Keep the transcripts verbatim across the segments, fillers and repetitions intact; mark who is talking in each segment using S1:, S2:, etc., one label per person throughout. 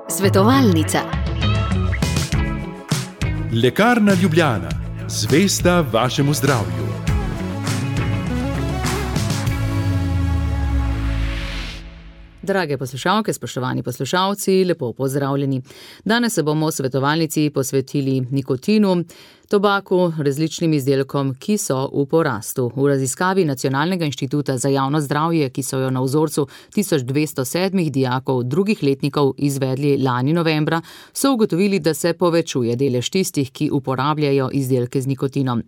S1: Svetovalnica.
S2: Lekarna Ljubljana, zvesta vašemu zdravju.
S3: Drage poslušalke, spoštovani poslušalci, lepo pozdravljeni. Danes se bomo v svetovalnici posvetili nikotinu, tobaku, različnim izdelkom, ki so v porastu. V raziskavi Nacionalnega inštituta za javno zdravje, ki so jo na vzorcu tisoč dvesto sedmih dijakov drugih letnikov izvedli lani novembra, so ugotovili, da se povečuje delež tistih, ki uporabljajo izdelke z nikotinom.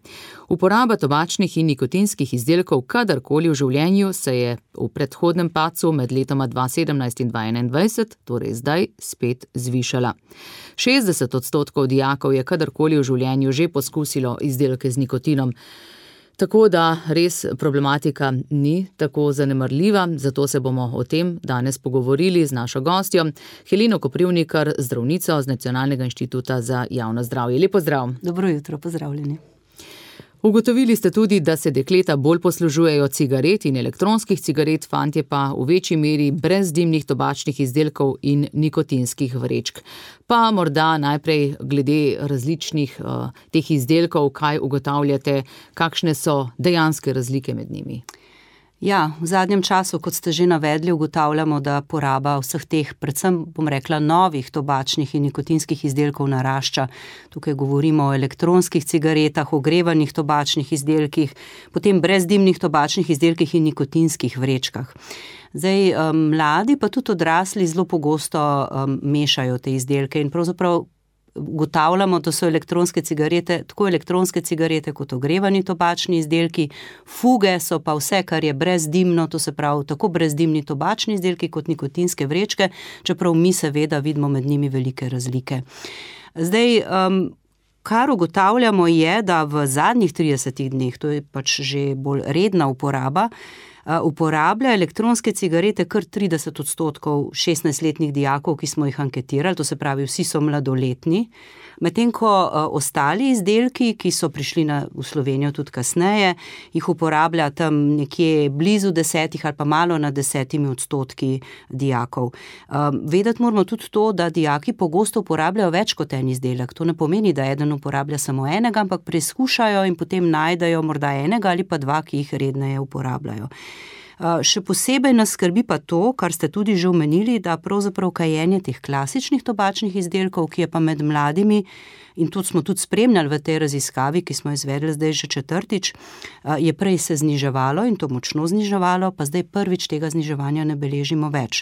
S3: Uporaba tobačnih in nikotinskih izdelkov kadarkoli v življenju se je v predhodnem padcu med letoma dva tisoč sedemnajst in dva tisoč enaindvajset, torej zdaj, spet zvišala. šestdeset odstotkov dijakov je kadarkoli v življenju že poskusilo izdelke z nikotinom. Tako da res problematika ni tako zanemarljiva, zato se bomo o tem danes pogovorili z našo gostjo, Helino Koprivnikar, zdravnico z Nacionalnega inštituta za javno zdravje. Lep pozdrav.
S4: Dobro jutro, pozdravljeni.
S3: Ugotovili ste tudi, da se dekleta bolj poslužujejo cigaret in elektronskih cigaret, fantje pa v večji meri brezdimnih tobačnih izdelkov in nikotinskih vrečk. Pa morda najprej glede različnih uh, teh izdelkov, kaj ugotavljate, kakšne so dejanske razlike med njimi?
S4: Ja, v zadnjem času, kot ste že navedli, ugotavljamo, da poraba vseh teh, predvsem bom rekla, novih tobačnih in nikotinskih izdelkov narašča. Tukaj govorimo o elektronskih cigaretah, ogrevanih tobačnih izdelkih, potem brezdimnih tobačnih izdelkih in nikotinskih vrečkah. Zdaj, mladi pa tudi odrasli zelo pogosto um, mešajo te izdelke in pravzaprav ugotavljamo, da so elektronske cigarete, tako elektronske cigarete kot ogrevani tobačni izdelki, fuge so pa vse, kar je brezdimno, to se pravi tako brezdimni tobačni izdelki kot nikotinske vrečke, čeprav mi seveda vidimo med njimi velike razlike. Zdaj, um, kar ugotavljamo je, da v zadnjih tridesetih dneh, to je pač že bolj redna uporaba, uporablja elektronske cigarete kar trideset odstotkov šestnajstletnih dijakov, ki smo jih anketirali, to se pravi, vsi so mladoletni, medtem ko ostali izdelki, ki so prišli na, v Slovenijo tudi kasneje, jih uporablja tam nekje blizu desetih ali pa malo nad desetimi odstotki dijakov. Vedeti moramo tudi to, da dijaki pogosto uporabljajo več kot en izdelek. To ne pomeni, da eden uporablja samo enega, ampak preizkušajo in potem najdejo morda enega ali pa dva, ki jih redneje uporabljajo. Še posebej nas skrbi pa to, kar ste tudi že omenili, da pravzaprav kajenje teh klasičnih tobačnih izdelkov, ki je pa med mladimi, in tudi smo tudi spremljali v tej raziskavi, ki smo izvedli zdaj že četrtič, je prej se zniževalo in to močno zniževalo, pa zdaj prvič tega zniževanja ne beležimo več.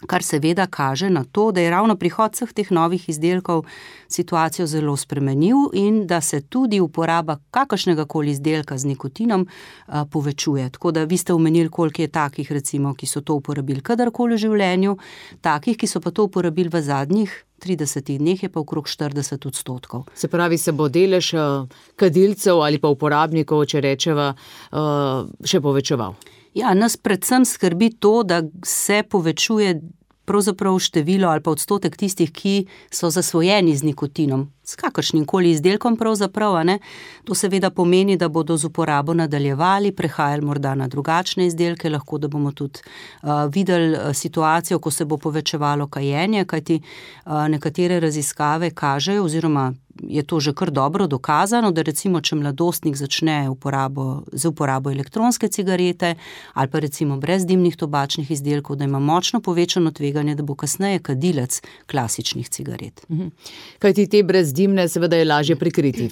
S4: Kar seveda kaže na to, da je ravno prihod vseh teh novih izdelkov situacijo zelo spremenil in da se tudi uporaba kakršnega koli izdelka z nikotinom a, povečuje. Tako da vi ste omenili, koliko je takih, recimo, ki so to uporabili kadarkoli v življenju, takih, ki so pa to uporabili v zadnjih tridesetih dneh, je pa okrog štirideset odstotkov.
S3: Se pravi, se bo delež uh, kadilcev ali pa uporabnikov, če rečeva, uh, še povečeval?
S4: Ja, nas predvsem skrbi to, da se povečuje pravzaprav število ali pa odstotek tistih, ki so zasvojeni z nikotinom, s kakršnim koli izdelkom pravzaprav, a ne? To seveda pomeni, da bodo z uporabo nadaljevali, prehajali morda na drugačne izdelke, lahko da bomo tudi uh, videli situacijo, ko se bo povečevalo kajenje, kajti uh, nekatere raziskave kažejo, oziroma je to že kar dobro dokazano, da recimo, če mladostnik začne uporabo, z uporabo elektronske cigarete ali pa recimo brezdimnih tobačnih izdelkov, da ima močno povečano tveganje, da bo kasneje kadilec klasičnih cigaret.
S3: Mhm. Kajti te brezdimne seveda je lažje prikriti.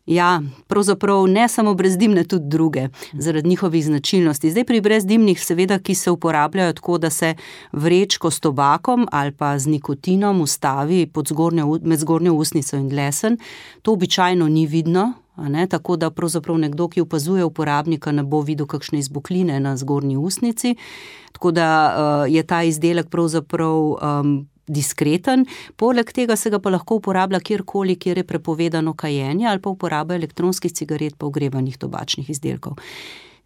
S4: Ja, pravzaprav ne samo brezdimne, tudi druge, zaradi njihovih značilnosti. Zdaj pri brezdimnih seveda, ki se uporabljajo tako, da se vrečko s tobakom ali pa z nikotinom ustavi pod zgornjo, med zgornjo ustnico in dlesen, to običajno ni vidno, a ne, tako da pravzaprav nekdo, ki opazuje uporabnika, ne bo videl kakšne izbokline na zgornji ustnici, tako da uh, je ta izdelek pravzaprav um, diskreten, poleg tega se ga pa lahko uporablja kjerkoli, kjer je prepovedano kajenje ali pa uporaba elektronskih cigaret pa ogrevanih tobačnih izdelkov.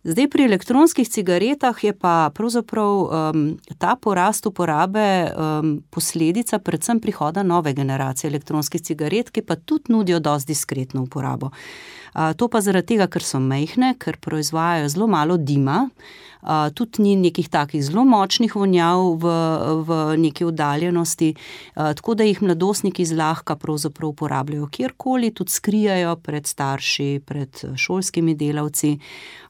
S4: Zdaj pri elektronskih cigaretah je pa pravzaprav um, ta porast uporabe um, posledica predvsem prihoda nove generacije elektronskih cigaret, ki pa tudi nudijo dosti diskretno uporabo. Uh, to pa zaradi tega, ker so majhne, ker proizvajajo zelo malo dima, uh, tudi ni nekih takih zelo močnih vonjav v, v neki oddaljenosti, uh, tako da jih mladostniki zlahka pravzaprav uporabljajo kjerkoli, tudi skrijajo pred starši, pred šolskimi delavci.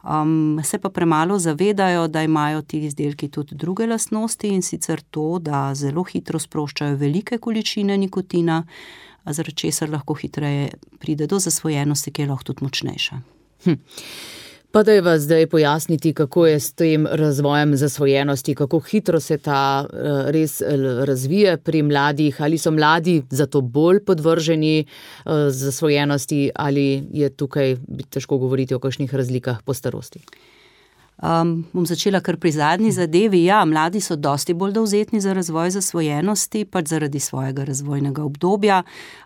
S4: Um, se pa premalo zavedajo, da imajo ti izdelki tudi druge lastnosti, in sicer to, da zelo hitro sproščajo velike količine nikotina, zaradi česar lahko hitreje pride do zasvojenosti, ki je lahko tudi močnejša.
S3: Hm. Pa da je vas zdaj pojasniti, kako je s tem razvojem zasvojenosti, kako hitro se ta res razvije pri mladih, ali so mladi zato bolj podvrženi zasvojenosti, ali je tukaj težko govoriti o kakšnih razlikah po starosti?
S4: Um, bom začela kar pri zadnji zadevi. Ja, mladi so dosti bolj dovzetni za razvoj zasvojenosti, pač zaradi svojega razvojnega obdobja,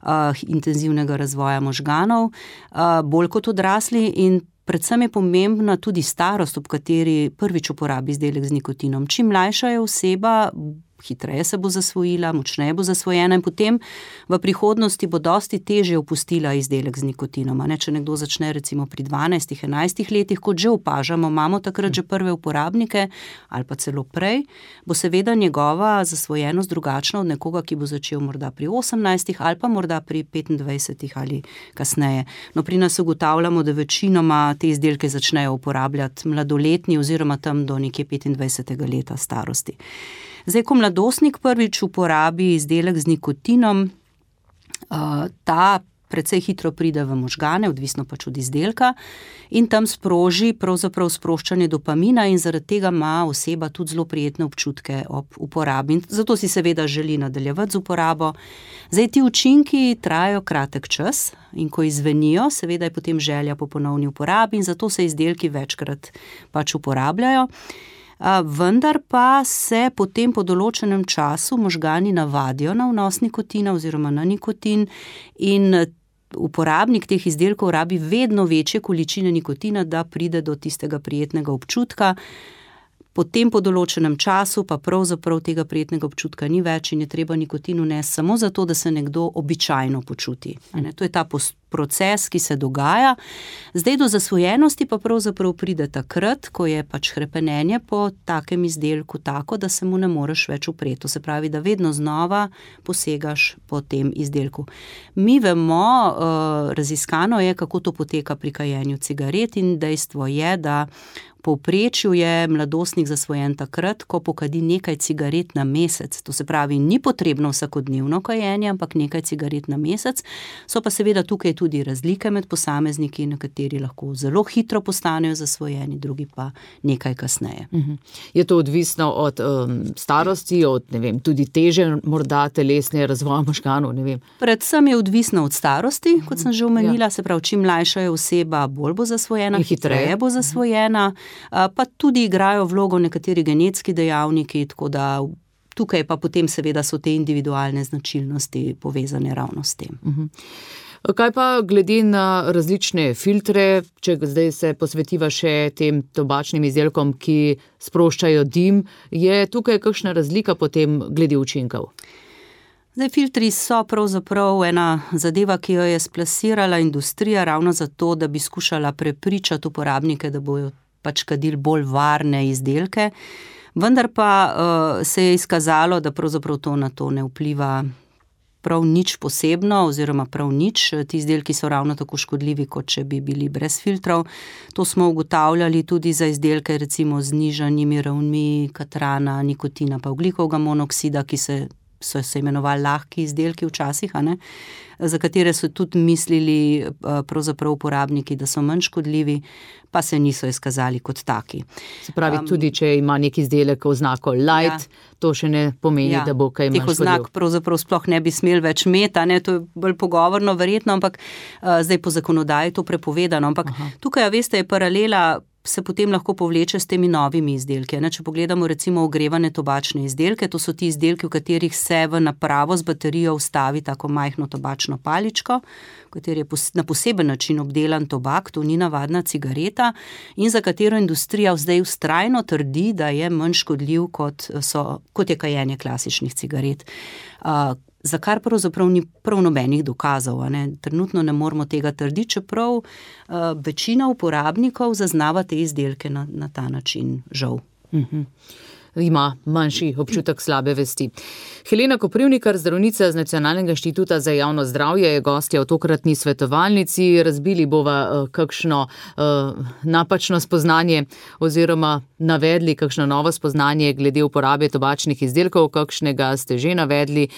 S4: uh, intenzivnega razvoja možganov, uh, bolj kot odrasli, in predvsem je pomembna tudi starost, ob kateri prvič uporabi izdelek z nikotinom. Čim mlajša je oseba, hitreje se bo zasvojila, močneje bo zasvojena in potem v prihodnosti bo dosti težje opustila izdelek z nikotinom. Ne, če nekdo začne recimo pri dvanajstih, enajstih letih, kot že opažamo, imamo takrat že prve uporabnike ali pa celo prej, bo seveda njegova zasvojenost drugačna od nekoga, ki bo začel morda pri osemnajstih ali pa morda pri petindvajsetih ali kasneje. No, pri nas ugotavljamo, da večinoma te izdelke začnejo uporabljati mladoletni oziroma tam do nekje petindvajsetega leta starosti. Zdaj, ko mladostnik prvič uporabi izdelek z nikotinom, ta precej hitro pride v možgane, odvisno pač od izdelka, in tam sproži pravzaprav sproščanje dopamina, in zaradi tega ima oseba tudi zelo prijetne občutke ob uporabi. In zato si seveda želi nadaljevati z uporabo. Zdaj, ti učinki trajajo kratek čas, in ko izvenijo, seveda je potem želja po ponovni uporabi, in zato se izdelki večkrat pač uporabljajo. Vendar pa se potem po določenem času možgani navadijo na vnos nikotina oziroma na nikotin, in uporabnik teh izdelkov rabi vedno večje količine nikotina, da pride do tistega prijetnega občutka. Potem po določenem času pa pravzaprav tega prijetnega občutka ni več in je treba nikotin vnesti samo zato, da se nekdo običajno počuti. To je ta proces, ki se dogaja. Zdaj do zasvojenosti pa pravzaprav pride takrat, ko je pač hrepenenje po takem izdelku tako, da se mu ne moreš več upreti. To se pravi, da vedno znova posegaš po tem izdelku. Mi vemo, raziskano je, kako to poteka pri kajenju cigaret, in dejstvo je, da povprečju je mladostnik zasvojen takrat, ko pokadi nekaj cigaret na mesec. To se pravi, ni potrebno vsakodnevno kajenje, ampak nekaj cigaret na mesec. So pa seveda tukaj tudi razlike med posamezniki, nekateri lahko zelo hitro postanejo zasvojeni, drugi pa nekaj kasneje.
S3: Uh-huh. Je to odvisno od um, starosti, od ne vem, tudi teže morda telesne razvoja možganov, ne vem?
S4: Predvsem je odvisno od starosti, kot sem že omenila, ja. Se pravi, čim mlajša je oseba, bolj bo zasvojena, hitreje. hitreje bo zasvojena. Pa tudi igrajo vlogo nekateri genetski dejavniki, tako da tukaj pa potem seveda so te individualne značilnosti povezane ravno s tem.
S3: Uh-huh. Kaj pa glede na različne filtre, če zdaj se posvetiva še tem tobačnim izdelkom, ki sproščajo dim, je tukaj kakšna razlika potem glede učinkov?
S4: Zdaj, filtri so pravzaprav ena zadeva, ki jo je splasirala industrija ravno zato, da bi skušala prepričati uporabnike, da bojo pač kadili bolj varne izdelke, vendar pa uh, se je izkazalo, da pravzaprav to na to ne vpliva prav nič posebno oziroma prav nič. Ti izdelki so ravno tako škodljivi, kot če bi bili brez filtrov. To smo ugotavljali tudi za izdelke recimo z nižanimi ravnmi katrana, nikotina pa ogljikovega monoksida, ki se so se imenovali lahki izdelki včasih, a ne, za katere so tudi mislili pravzaprav uporabniki, da so manj škodljivi, pa se niso izkazali kot taki.
S3: Se pravi, um, tudi če ima nek izdelek oznako light, ja, to še ne pomeni, ja, da bo kaj manj škodljiv.
S4: Teh oznak pravzaprav sploh ne bi smeli več imeti, ne, to je bolj pogovorno verjetno, ampak uh, zdaj po zakonodaji to prepovedano, ampak Aha. tukaj, veste, je paralela se potem lahko povleče s temi novimi izdelki. Ne? Če pogledamo recimo ogrevane tobačne izdelke, to so ti izdelki, v katerih se v napravo z baterijo vstavi tako majhno tobačno paličko, v kateri je na poseben način obdelan tobak, to ni navadna cigareta, in za katero industrija zdaj vztrajno trdi, da je manj škodljiv, kot, so, kot je kajenje klasičnih cigaret. Uh, za kar pravzaprav ni prav nobenih dokazov. Ne? Trenutno ne moramo tega trditi, čeprav uh, večina uporabnikov zaznava te izdelke na, na ta način, žal.
S3: Mhm. Ima manjši občutek slabe vesti. Helena Koprivnikar, zdravnica z Nacionalnega inštituta za javno zdravje, je gostja v tokratni svetovalnici. Razbili bova uh, kakšno uh, napačno spoznanje oziroma navedli kakšno novo spoznanje glede uporabe tobačnih izdelkov, kakšnega ste že navedli.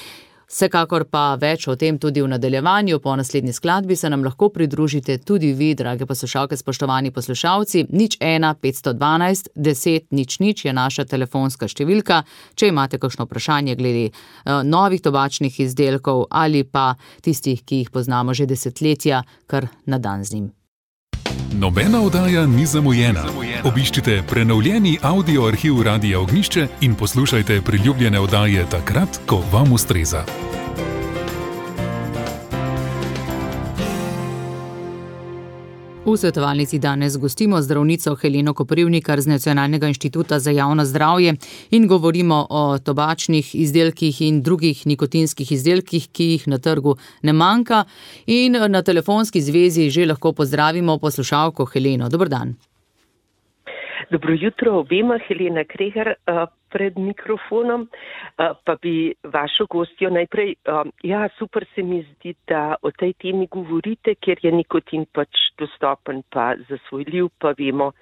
S3: Vsekakor pa več o tem tudi v nadaljevanju. Po naslednji skladbi se nam lahko pridružite tudi vi, drage poslušalke, spoštovani poslušalci. nič ena petsto dvanajst deset nič nič je naša telefonska številka. Če imate kakšno vprašanje glede uh, novih tobačnih izdelkov ali pa tistih, ki jih poznamo že desetletja, kar na dan z njim.
S2: Nobena oddaja ni zamujena. Obiščite prenovljeni audio arhiv Radia Ognjišče in poslušajte priljubljene oddaje takrat, ko vam ustreza.
S3: V svetovalnici danes gostimo zdravnico Heleno Koprivnikar z Nacionalnega inštituta za javno zdravje in govorimo o tobačnih izdelkih in drugih nikotinskih izdelkih, ki jih na trgu ne manjka. In na telefonski zvezi že lahko pozdravimo poslušalko Heleno. Dober dan.
S5: Dobro jutro obema, Helena Kregar pred mikrofonom, pa bi vašo gostjo najprej, ja, super se mi zdi, da o tej temi govorite, ker je nikotin pač dostopen pa zasvojljiv, pa vemo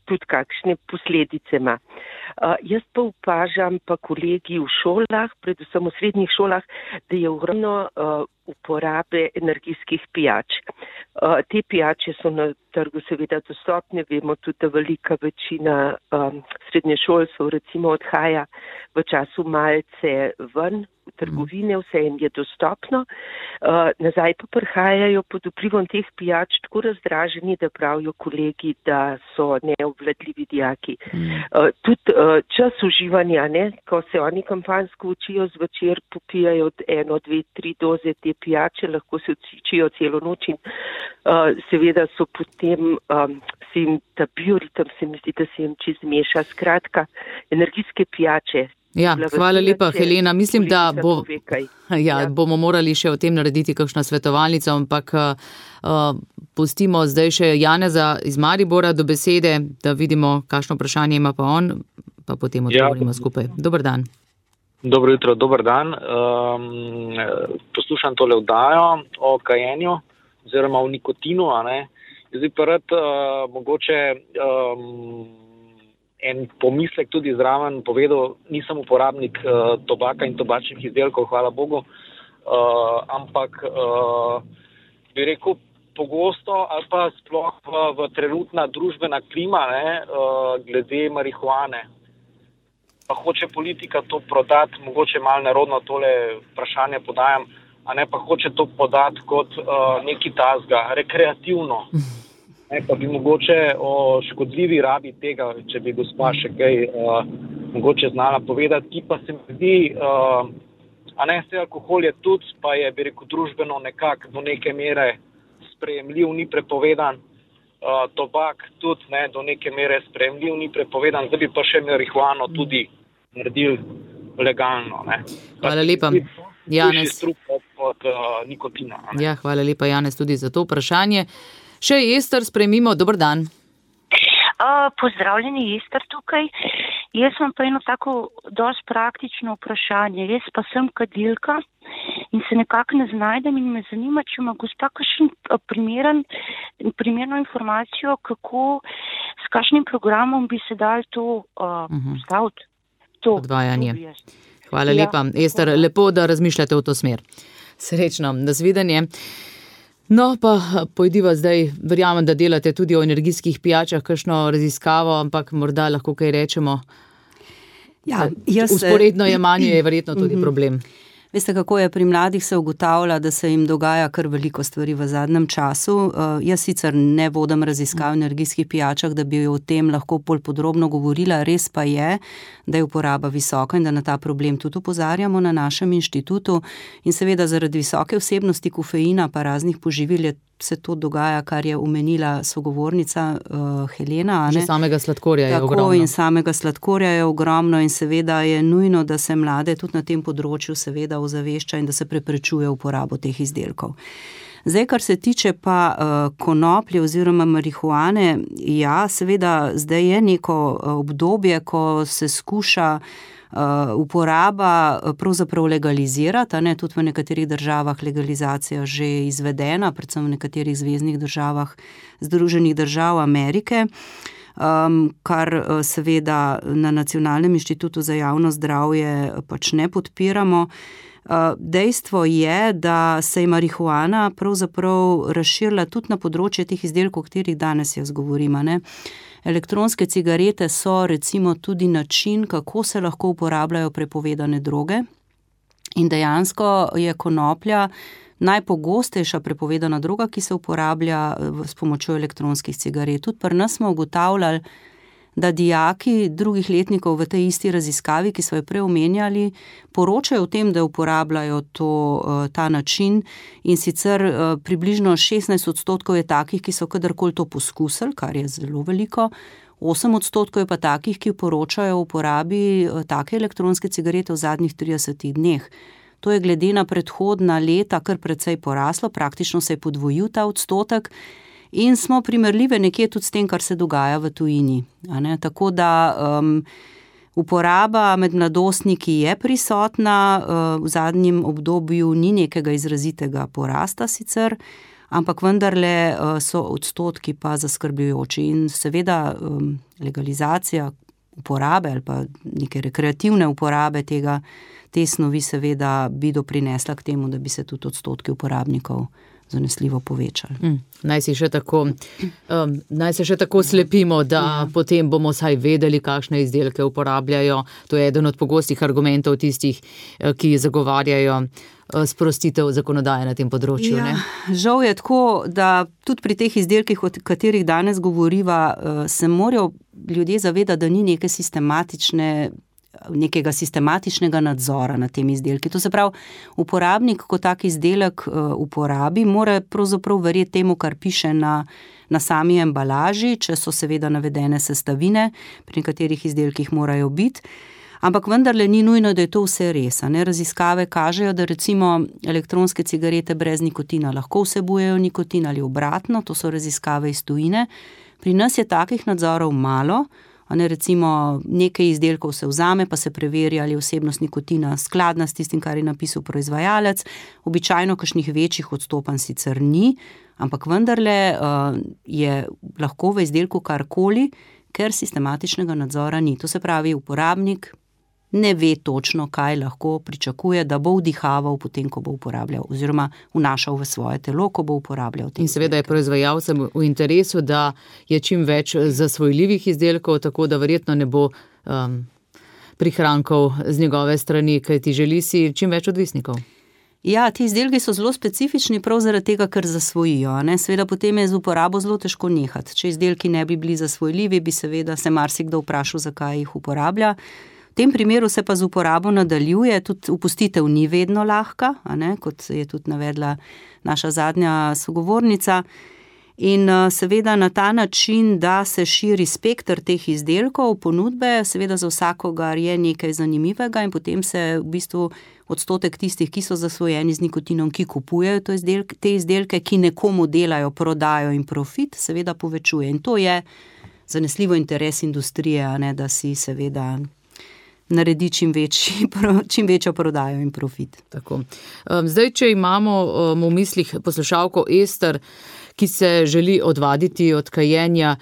S5: tudi kakšne posledice ima. Jaz pa opažam pa kolegi v šolah, predvsem v srednjih šolah, da je ogromno uporabe energijskih pijač. Te pijače so na trgu seveda dostopne, vemo tudi, da velika večina um, srednješolcev recimo odhaja v času malce ven v trgovine, vse jim je dostopno. Uh, nazaj pa prihajajo pod vplivom teh pijač tako razdraženi, da pravijo kolegi, da so neobvladljivi dijaki. Uh, tudi uh, čas uživanja, ne, ko se oni kampanjsko učijo zvečer, popijajo eno, dve, tri doze te pijače, lahko se učijo celo noč in uh, seveda so potem um, se jim ta bioritem, se mi zdi, da se jim čez meša. Skratka, energijske pijače.
S3: Ja, hvala lepa, Helena. Mislim, da bo, ja, bomo morali še o tem narediti kakšno svetovalnico, ampak uh, pustimo zdaj še Janeza iz Maribora do besede, da vidimo, kakšno vprašanje ima pa on, pa potem odgovorimo ja. skupaj. Dober dan.
S6: Dobro jutro, dober dan. Um, poslušam tole oddajo o kajenju oziroma o nikotinu, a ne. Zdaj pa rad uh, mogoče um, en pomislek tudi zraven povedal, nisem uporabnik uh, tobaka in tobačnih izdelkov, hvala Bogu, uh, ampak uh, bi rekel pogosto ali pa sploh v, v trenutna družbena klima, ne, uh, glede marihuane. Pa hoče politika to prodati, mogoče malo nerodno tole vprašanje podajam, a ne pa hoče to podati kot uh, neki tazga, rekreativno. Ne, pa bi mogoče o škodljivi rabi tega, če bi gospa še kaj uh, mogoče znala povedati, ki pa se mi zdi, uh, a ne, vse alkohol je tudi, pa je, bi rekel, družbeno nekako do neke mere sprejemljiv, ni prepovedan, uh, tobak tudi, ne, do neke mere sprejemljiv, ni prepovedan, zdaj bi pa še marihuano tudi naredili legalno, ne.
S3: Hvala lepa, Janez.
S6: Od, od uh, nikotina. Ne?
S3: Ja, hvala lepa, Janez, tudi za to vprašanje. Še Ester, sprejmimo, dober dan.
S7: Uh, pozdravljeni, Ester tukaj. Jaz imam pa eno tako dosti praktično vprašanje. Jaz pa sem kadilka in se nekako ne znajdem in me zanima, če ima gospa kakšen primeren, primerno informacijo, kako, s kakšnim programom bi se dal to uh, uh-huh. staviti. To,
S3: odvajanje.
S7: To
S3: Hvala ja. lepa. Ester, lepo, da razmišljate v to smer. Srečno, nasvidenje. No, pa pojdiva zdaj, verjamem, da delate tudi o energijskih pijačah, kakšno raziskavo, ampak morda lahko kaj rečemo.
S4: Ja, jaz
S3: Usporedno jemanje je verjetno tudi problem.
S4: Veste, kako je pri mladih se ugotavlja, da se jim dogaja kar veliko stvari v zadnjem času. Uh, jaz sicer ne vodim raziskav v energijskih pijačah, da bi o tem lahko bolj podrobno govorila. Res pa je, da je uporaba visoka in da na ta problem tudi opozarjamo na našem inštitutu. In seveda zaradi visoke vsebnosti kofeina pa raznih poživil je se to dogaja, kar je omenila sogovornica uh, Helena.
S3: Že samega sladkorja je
S4: Tako,
S3: ogromno.
S4: In samega sladkorja je ogromno in seveda je nujno, da se mlade tudi na tem področju seveda ozavešča in da se preprečuje uporabo teh izdelkov. Zdaj, kar se tiče pa uh, konoplje oziroma marihuane, ja, seveda zdaj je neko obdobje, ko se skuša Uh, uporaba pravzaprav legalizirati, ne, tudi v nekaterih državah legalizacija že izvedena, predvsem v nekaterih zveznih državah Združenih držav Amerike, um, kar uh, seveda na Nacionalnem inštitutu za javno zdravje pač ne podpiramo. Uh, dejstvo je, da se je marihuana pravzaprav razširila tudi na področje teh izdelkov, o katerih danes jaz govorim, ne. Elektronske cigarete so recimo tudi način, kako se lahko uporabljajo prepovedane droge in dejansko je konoplja najpogostejša prepovedana droga, ki se uporablja s pomočjo elektronskih cigaret. Tudi pri nas smo ugotavljali, da dijaki drugih letnikov v tej isti raziskavi, ki so jo prej omenjali, poročajo o tem, da uporabljajo to, ta način in sicer približno šestnajst odstotkov je takih, ki so kadarkoli to poskusili, kar je zelo veliko, osem odstotkov je pa takih, ki poročajo o uporabi take elektronske cigarete v zadnjih tridesetih dneh. To je glede na predhodna leta kar precej poraslo, praktično se je podvojil ta odstotek, in smo primerljive nekje tudi s tem, kar se dogaja v tujini. A ne? Tako da um, uporaba med mladostniki je prisotna, uh, v zadnjem obdobju ni nekega izrazitega porasta sicer, ampak vendarle uh, so odstotki pa zaskrbljujoči in seveda um, legalizacija uporabe ali pa neke rekreativne uporabe tega, te snovi seveda bi doprinesla k temu, da bi se tudi odstotki uporabnikov zanesljivo povečali.
S3: Mm, naj si še tako, um, naj se še tako slepimo, da ja. Potem bomo saj vedeli, kakšne izdelke uporabljajo. To je eden od pogostih argumentov tistih, ki zagovarjajo sprostitev zakonodaje na tem področju.
S4: Ja,
S3: ne?
S4: Žal je tako, da tudi pri teh izdelkih, o katerih danes govoriva, se morajo ljudje zavedati, da ni neke sistematične nekega sistematičnega nadzora nad temi izdelki. To se pravi, uporabnik, ko tak izdelek uporabi, mora pravzaprav verjeti temu, kar piše na, na sami embalaži, če so seveda navedene sestavine, pri nekaterih izdelkih morajo biti. Ampak vendarle ni nujno, da je to vse res. Ne? Raziskave kažejo, da recimo elektronske cigarete brez nikotina lahko vsebujejo nikotin ali obratno, to so raziskave iz tujine. Pri nas je takih nadzorov malo. Ne, recimo nekaj izdelkov se vzame, pa se preveri, ali je vsebnost nikotina skladna s tistim, kar je napisal proizvajalec. Običajno kakšnih večjih odstopanj sicer ni, ampak vendarle uh, je lahko v izdelku karkoli, ker sistematičnega nadzora ni. To se pravi, uporabnik ne ve točno, kaj lahko pričakuje, da bo vdihaval potem, ko bo uporabljal, oziroma vnašal v svoje telo, ko bo uporabljal.
S3: In seveda je proizvajalcem v interesu, da je čim več zasvojljivih izdelkov, tako da verjetno ne bo um, prihrankov z njegove strani, kajti želi si čim več odvisnikov.
S4: Ja, ti izdelki so zelo specifični prav zaradi tega, ker zasvojijo. Ne? Seveda potem je z uporabo zelo težko nehati. Če izdelki ne bi bili zasvojljivi, bi seveda se marsikdo vprašal, zakaj jih uporablja. V tem primeru se pa z uporabo nadaljuje, tudi opustitev ni vedno lahka, a ne, kot je tudi navedla naša zadnja sogovornica. In seveda na ta način, da se širi spekter teh izdelkov, ponudbe, seveda za vsakogar je nekaj zanimivega in potem se v bistvu odstotek tistih, ki so zasvojeni z nikotinom, ki kupujejo to izdelke, te izdelke, ki nekomu delajo, prodajo in profit, seveda povečuje. In to je zanesljivo interes industrije, a ne, da si seveda naredi čim, večji, čim večjo prodajo in profit.
S3: Tako. Zdaj, če imamo v mislih poslušalko Ester, ki se želi odvaditi od kajenja,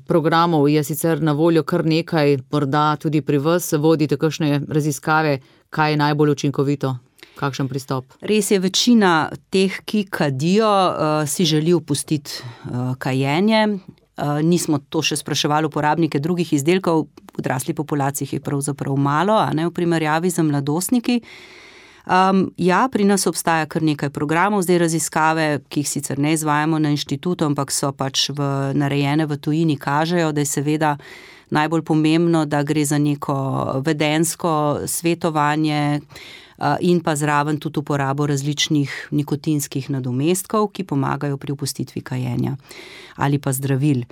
S3: programov je sicer na voljo kar nekaj, morda tudi pri vas vodite kakšne raziskave, kaj je najbolj učinkovito, kakšen pristop?
S4: Res je, večina teh, ki kadijo, si želi opustiti kajenje. Uh, nismo to še spraševali uporabnike drugih izdelkov, v odrasli populaciji je pravzaprav malo, a ne v primerjavi z mladostniki. Um, ja, pri nas obstaja kar nekaj programov, zdaj raziskave, ki jih sicer ne izvajamo na inštitutu, ampak so pač v, narejene v tujini, kažejo, da je seveda najbolj pomembno, da gre za neko vedensko svetovanje, in pa zraven tudi uporabo različnih nikotinskih nadomestkov, ki pomagajo pri opustitvi kajenja ali pa zdravil.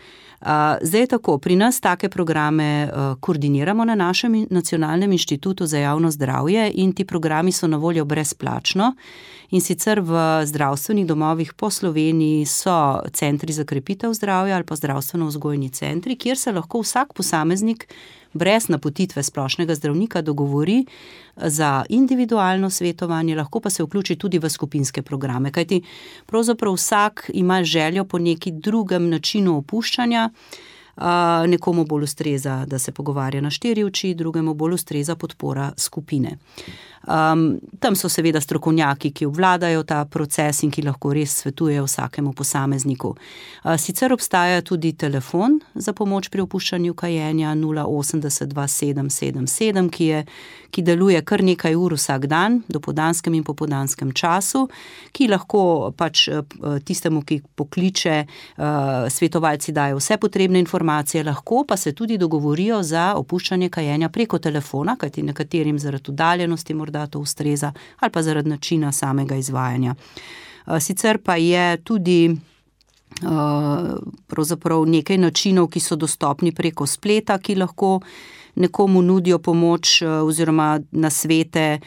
S4: Zdaj je tako, pri nas take programe koordiniramo na našem nacionalnem inštitutu za javno zdravje in ti programi so na voljo brezplačno. In sicer v zdravstvenih domovih po Sloveniji so centri za krepitev zdravja ali pa zdravstveno-vzgojni centri, kjer se lahko vsak posameznik brez napotitve splošnega zdravnika dogovori za individualno svetovanje, lahko pa se vključi tudi v skupinske programe, kajti pravzaprav vsak ima željo po neki drugem načinu opuščanja. Nekomu bolj ustreza, da se pogovarja na štiri oči, drugemu bolj ustreza podpora skupine. Um, tam so seveda strokovnjaki, ki obvladajo ta proces in ki lahko res svetujejo vsakemu posamezniku. Uh, sicer obstaja tudi telefon za pomoč pri opuščanju kajenja nula osemdeset dva sedem sedem sedem, ki, je, ki deluje kar nekaj ur vsak dan, dopoldanskem in popoldanskem času, ki lahko pač tistemu, ki pokliče, uh, svetovalci dajo vse potrebne informacije, lahko pa se tudi dogovorijo za opuščanje kajenja preko telefona, kajti nekaterim zaradi oddaljenosti morda to ustreza ali pa zaradi načina samega izvajanja. Sicer pa je tudi pravzaprav nekaj načinov, ki so dostopni preko spleta, ki lahko nekomu nudijo pomoč oziroma nasvete.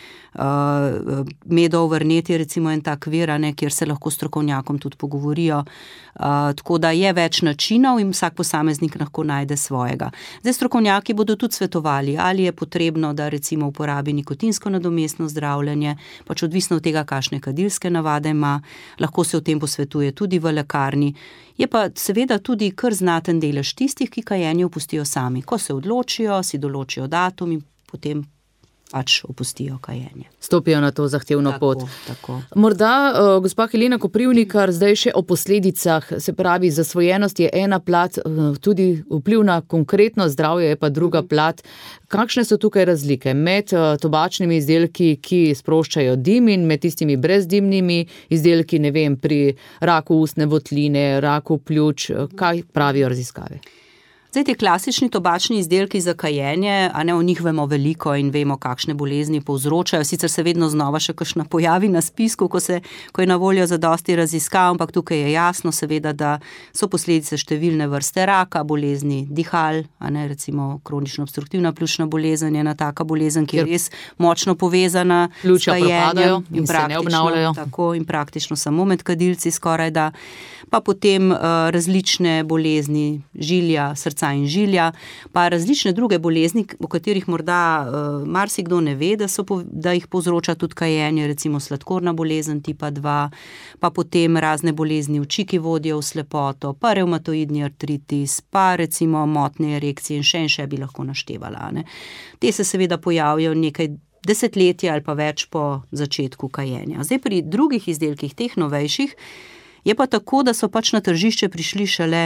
S4: Medo-Overnet je recimo en tak vir, ne, kjer se lahko strokovnjakom tudi pogovorijo. Uh, tako da je več načinov in vsak posameznik lahko najde svojega. Zdaj strokovnjaki bodo tudi svetovali, ali je potrebno, da recimo uporabi nikotinsko nadomestno zdravljenje, pač odvisno od tega, kakšne kadilske navade ima, lahko se o tem posvetuje tudi v lekarni. Je pa seveda tudi kar znaten delež tistih, ki kajenje opustijo sami. Ko se odločijo, si določijo datum in potem pač opustijo kajenje.
S3: Stopijo na to zahtevno
S4: tako,
S3: pot.
S4: Tako.
S3: Morda, uh, gospa Helena Koprivnikar, zdaj še o posledicah, se pravi, zasvojenost je ena plat, uh, tudi vpliv na konkretno zdravje je pa druga plat. Kakšne so tukaj razlike med uh, tobačnimi izdelki, ki sproščajo dim in med tistimi brezdimnimi izdelki, ne vem, pri raku ustne votline, raku pljuč, kaj pravijo raziskave?
S4: Zdaj, te klasični tobačni izdelki za kajenje, a ne, o njih vemo veliko in vemo, kakšne bolezni povzročajo. Sicer se vedno znova še kakšna pojavi na spisku, ko, se, ko je na voljo zadosti raziskav, ampak tukaj je jasno seveda, da so posledice številne vrste raka, bolezni dihal, a ne, recimo kronično obstruktivna pljučna bolezen je ena taka bolezen, ki je res močno povezana s kajenjem
S3: in, in se ne obnavljajo.
S4: Tako in praktično samo med kadilci skoraj da. Pa potem uh, različne bolezni žilja, srca in žilja, pa različne druge bolezni, o katerih morda uh, marsikdo ne ve, da, so, da jih povzroča tudi kajenje, recimo sladkorna bolezen tipa dva, pa potem razne bolezni oči, ki vodijo v slepoto, pa revmatoidni artritis, pa recimo motnje erekcije in še in še bi lahko naštevala. Ne. Te se seveda pojavijo nekaj desetletja ali pa več po začetku kajenja. Zdaj pri drugih izdelkih, teh novejših, je pa tako, da so pač na tržišče prišli šele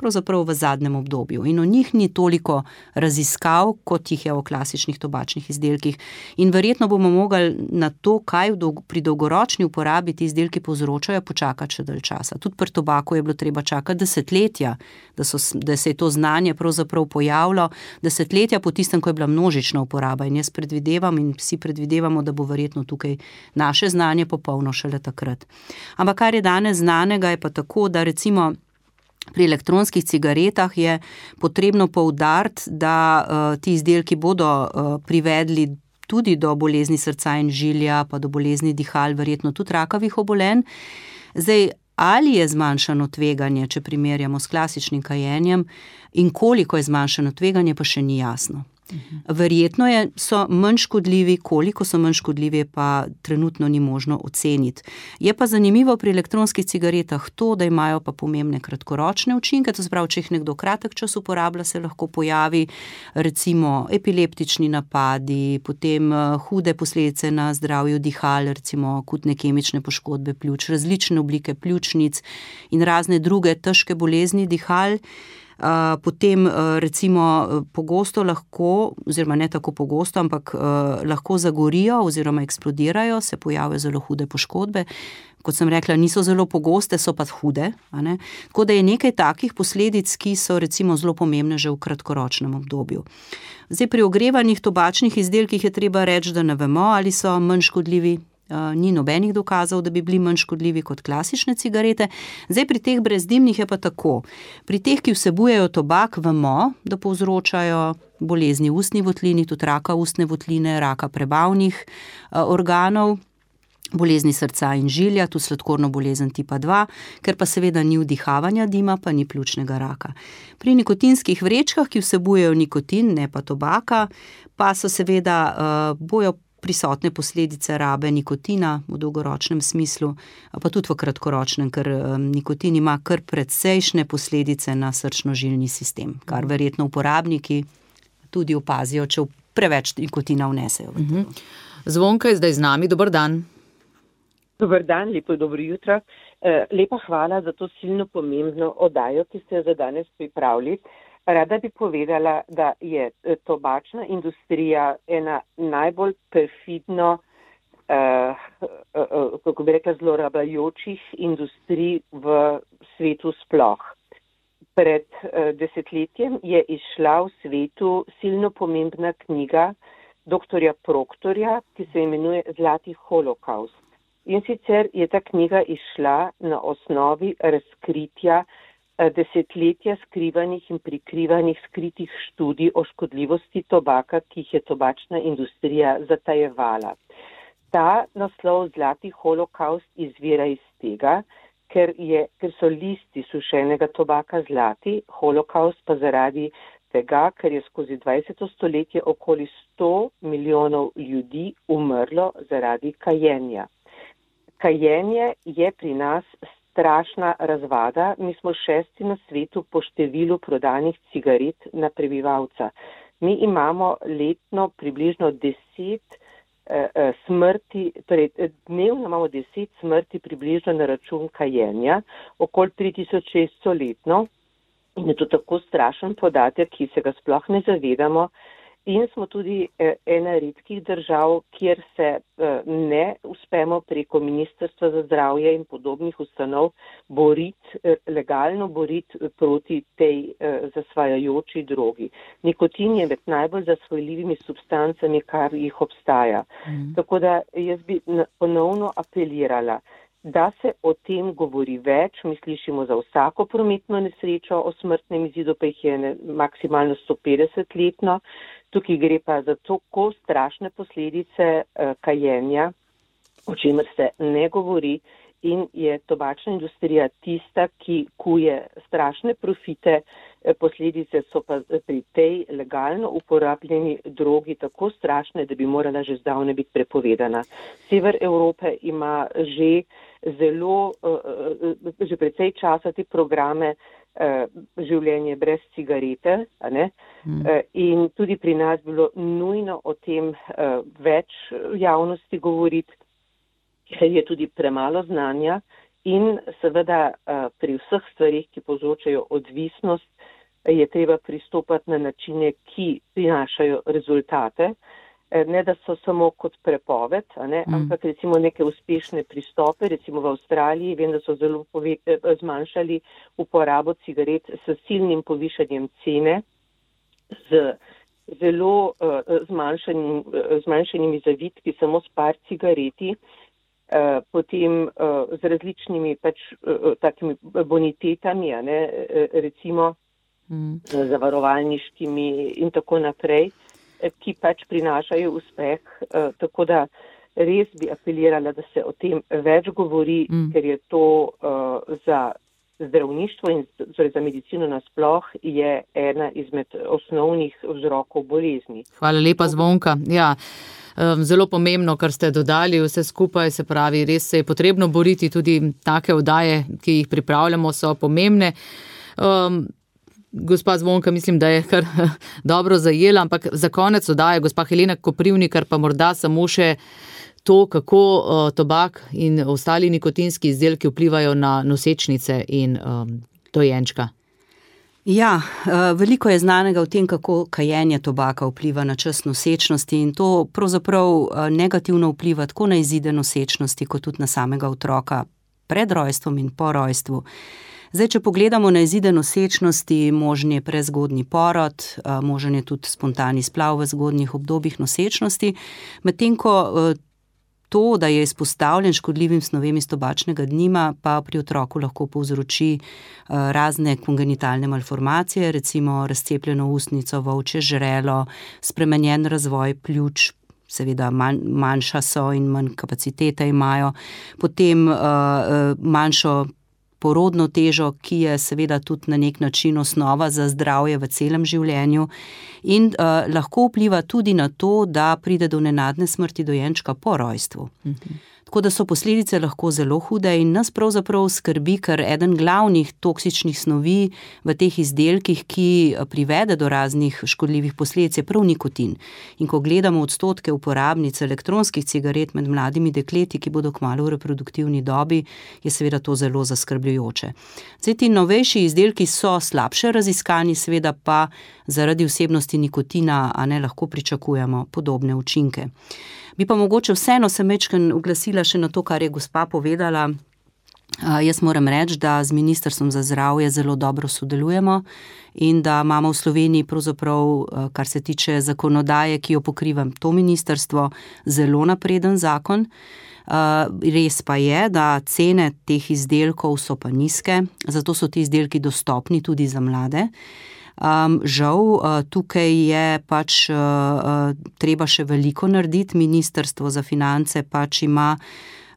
S4: pravzaprav v zadnjem obdobju in o njih ni toliko raziskav, kot jih je o klasičnih tobačnih izdelkih. In verjetno bomo mogli na to, kaj pri dolgoročni uporabi ti izdelki povzročajo, počakati še dalj časa. Tudi pri tobaku je bilo treba čakati desetletja, da, so, da se je to znanje pravzaprav pojavilo, desetletja po tistem, ko je bila množična uporaba. In jaz predvidevam in vsi predvidevamo, da bo verjetno tukaj naše znanje popolno šele takrat. Ampak kar je danes znanega, je pa tako, da recimo pri elektronskih cigaretah je potrebno poudariti, da uh, ti izdelki bodo uh, privedli tudi do bolezni srca in žilja, pa do bolezni dihal, verjetno tudi rakavih obolenj. Zdaj, ali je zmanjšano tveganje, če primerjamo s klasičnim kajenjem, in koliko je zmanjšano tveganje, pa še ni jasno. Verjetno je, so manj škodljivi, koliko so manj škodljivi, pa trenutno ni možno oceniti. Je pa zanimivo pri elektronskih cigaretah to, da imajo pa pomembne kratkoročne učinke, to se pravi, če jih nekdo kratek čas uporablja, se lahko pojavi recimo epileptični napadi, potem hude posledice na zdravju dihal, recimo akutne kemične poškodbe pljuč, različne oblike pljučnic in razne druge težke bolezni dihal. Potem recimo pogosto lahko, oziroma ne tako pogosto, ampak lahko zagorijo oziroma eksplodirajo, se pojavijo zelo hude poškodbe. Kot sem rekla, niso zelo pogoste, so pa hude. A ne? Tako da je nekaj takih posledic, ki so recimo zelo pomembne že v kratkoročnem obdobju. Zdaj, pri ogrevanih tobačnih izdelkih je treba reči, da ne vemo, ali so manj škodljivi. Ni nobenih dokazov, da bi bili manj škodljivi kot klasične cigarete. Zdaj, pri teh brezdimnih je pa tako. Pri teh, ki vsebujejo tobak, vemo, da povzročajo bolezni v ustni votlini, tudi raka ustne votline, raka prebavnih organov, bolezni srca in žilja, tudi sladkorno bolezen tipa dva, ker pa seveda ni vdihavanja dima, pa ni pljučnega raka. Pri nikotinskih vrečkah, ki vsebujejo nikotin, ne pa tobaka, pa so seveda uh, bojo prisotne posledice rabe nikotina v dolgoročnem smislu, pa tudi v kratkoročnem, ker um, nikotin ima kar predsejšnje posledice na srčno-žilni sistem, kar verjetno uporabniki tudi opazijo, če preveč nikotina vnesejo.
S3: Mhm. Zvonka je zdaj z nami, dober dan.
S5: Dober dan, lepo dobro jutro. Lepa hvala za to silno pomembno oddajo, ki ste jo za danes pripravili. Rada bi povedala, da je tobačna industrija ena najbolj perfidno, eh, eh, kako bi rekla, zlorabljajočih industrij v svetu sploh. Pred eh, desetletjem je izšla v svetu silno pomembna knjiga doktorja Proktorja, ki se imenuje Zlati holokaust. In sicer je ta knjiga izšla na osnovi razkritja desetletja skrivanih in prikrivanih skritih študij o škodljivosti tobaka, ki jih je tobačna industrija zatajevala. Ta naslov Zlati holokaust izvira iz tega, ker, je, ker so listi sušenega tobaka zlati, holokaust pa zaradi tega, ker je skozi dvajseto stoletje okoli sto milijonov ljudi umrlo zaradi kajenja. Kajenje je pri nas strašna razvada. Mi smo šesti na svetu po številu prodanih cigaret na prebivalca. Mi imamo letno približno deset eh, smrti, torej dnevno imamo deset smrti približno na račun kajenja, okoli tri tisoč šeststo letno. In je to tako strašen podatek, ki se ga sploh ne zavedamo. In smo tudi ena redkih držav, kjer se ne uspemo preko Ministrstva za zdravje in podobnih ustanov boriti, legalno boriti proti tej zasvajajoči drogi. Nikotin je med najbolj zasvojljivimi substancami, kar jih obstaja. Mm. Tako da jaz bi ponovno apelirala, da se o tem govori več. Mi slišimo za vsako prometno nesrečo o smrtnem izidu, pa jih je ne, maksimalno sto petdeset letno. Tukaj gre pa za tako strašne posledice eh, kajenja, o čemer se ne govori, in je tobačna industrija tista, ki kuje strašne profite. Eh, posledice so pa pri tej legalno uporabljeni drogi tako strašne, da bi morala že zdavnaj biti prepovedana. Sever Evrope ima že zelo, eh, že precej časa te programe življenje brez cigarete, a ne? Mm. In tudi pri nas bilo nujno o tem več javnosti govoriti, ker je tudi premalo znanja in seveda pri vseh stvarih, ki povzročajo odvisnost, je treba pristopati na načine, ki prinašajo rezultate. Ne, da so samo kot prepoved, a ne, mm. ampak recimo neke uspešne pristope, recimo v Avstraliji, vem, da so zelo pove, zmanjšali uporabo cigaret s silnim povišanjem cene, z zelo uh, zmanjšanim, uh, zmanjšanimi zavitki, samo s par cigareti, uh, potem uh, z različnimi pač uh, takimi bonitetami, a ne, recimo mm. zavarovalniškimi in tako naprej, ki pač prinašajo uspeh, eh, tako da res bi apelirala, da se o tem več govori, mm. ker je to eh, za zdravništvo in torej za medicino nasploh je ena izmed osnovnih vzrokov bolezni.
S3: Hvala lepa, Zvonka. Ja, zelo pomembno, kar ste dodali vse skupaj, se pravi, res se je potrebno boriti, tudi take oddaje, ki jih pripravljamo, so pomembne. Um, Gospa Zvonka, mislim, da je kar dobro zajela, ampak za konec oddaje gospa Helena Koprivnikar pa morda samo še to, kako uh, tobak in ostali nikotinski izdelki vplivajo na nosečnice in um, dojenčka.
S4: Ja, veliko je znanega o tem, kako kajenje tobaka vpliva na čas nosečnosti in to pravzaprav negativno vpliva tako na izide nosečnosti, kot tudi na samega otroka pred rojstvom in po rojstvu. Zdaj, če pogledamo na izide nosečnosti, možen je prezgodnji porod, možen je tudi spontani splav v zgodnjih obdobjih nosečnosti, medtem ko to, da je izpostavljen škodljivim snovem iz tobačnega dima, pa pri otroku lahko povzroči razne kongenitalne malformacije, recimo razcepljeno ustnico, volčje žrelo, spremenjen razvoj pljuč, seveda manj, manjša so in manj kapacitete imajo, potem uh, manjšo porodno težo, ki je seveda tudi na nek način osnova za zdravje v celem življenju in uh, lahko vpliva tudi na to, da pride do nenadne smrti dojenčka po rojstvu. Mhm. Tako da so posledice lahko zelo hude in nas pravzaprav skrbi, ker eden glavnih toksičnih snovi v teh izdelkih, ki privede do raznih škodljivih posledic, je prav nikotin. In ko gledamo odstotke uporabnic elektronskih cigaret med mladimi dekleti, ki bodo kmalu v reproduktivni dobi, je seveda to zelo zaskrbljujoče. Zdaj, ti novejši izdelki so slabše raziskani, seveda pa zaradi vsebnosti nikotina, a ne lahko pričakujemo podobne učinke. Bi pa mogoče vseeno se majčkeno oglasila še na to, kar je gospa povedala. Uh, jaz moram reči, da z Ministrstvom za zdravje zelo dobro sodelujemo in da imamo v Sloveniji pravzaprav, uh, kar se tiče zakonodaje, ki jo pokriva to ministrstvo, zelo napreden zakon. Uh, res pa je, da cene teh izdelkov so pa nizke, zato so ti izdelki dostopni tudi za mlade. Um, žal, uh, tukaj je pač uh, uh, treba še veliko narediti. Ministrstvo za finance pač ima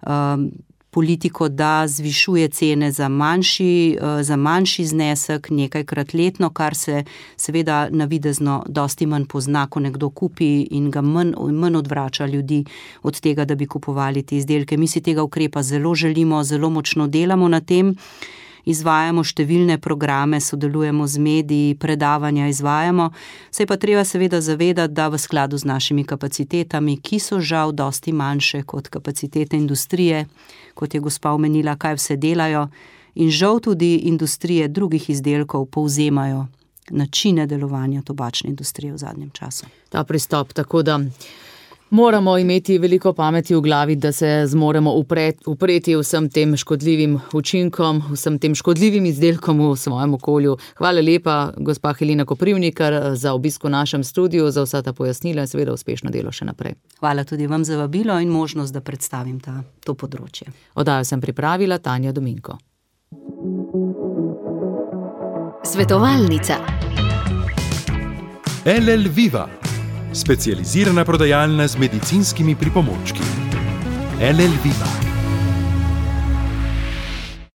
S4: um, politiko, da zvišuje cene za manjši, uh, za manjši znesek nekajkrat letno, kar se seveda navidezno dosti manj pozna, ko nekdo kupi in ga manj, manj odvrača ljudi od tega, da bi kupovali te izdelke. Mi si tega ukrepa zelo želimo, zelo močno delamo na tem. Izvajamo številne programe, sodelujemo z mediji, predavanja izvajamo. Se je pa treba seveda zavedati, da v skladu z našimi kapacitetami, ki so žal dosti manjše kot kapacitete industrije, kot je gospa omenila, kaj vse delajo, in žal tudi industrije drugih izdelkov povzemajo načine delovanja tobačne industrije v zadnjem času.
S3: Ta pristop, tako da moramo imeti veliko pameti v glavi, da se zmoremo upreti, upreti vsem tem škodljivim učinkom, vsem tem škodljivim izdelkom v svojem okolju. Hvala lepa, gospa Helena Koprivnikar, za obisk v našem studiu, za vsa ta pojasnila in seveda uspešno delo še naprej.
S4: Hvala tudi vam za vabilo in možnost, da predstavim ta, to področje.
S3: Oddajo sem pripravila Tanja Dominko.
S1: Svetovalnica.
S8: L L Viva. Specializirana prodajalna z medicinskimi pripomočki. L L Viva.